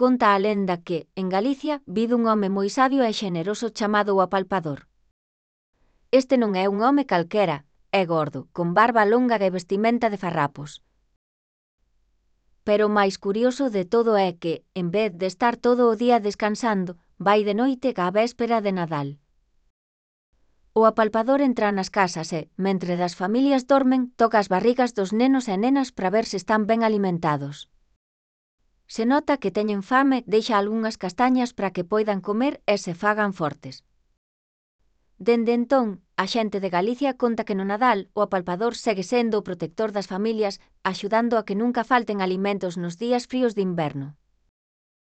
conta a lenda que, en Galicia, vive un home moi sabio e xeneroso chamado o Apalpador. Este non é un home calquera, é gordo, con barba longa e vestimenta de farrapos. Pero o máis curioso de todo é que, en vez de estar todo o día descansando, vai de noite á véspera de Nadal. O Apalpador entra nas casas e, mentre as familias dormen, toca as barrigas dos nenos e nenas para ver se están ben alimentados. Se nota que teñen fame, deixa algunhas castañas para que poidan comer e se fagan fortes. Dende entón, a xente de Galicia conta que no Nadal o Apalpador segue sendo o protector das familias, axudando a que nunca falten alimentos nos días fríos de inverno.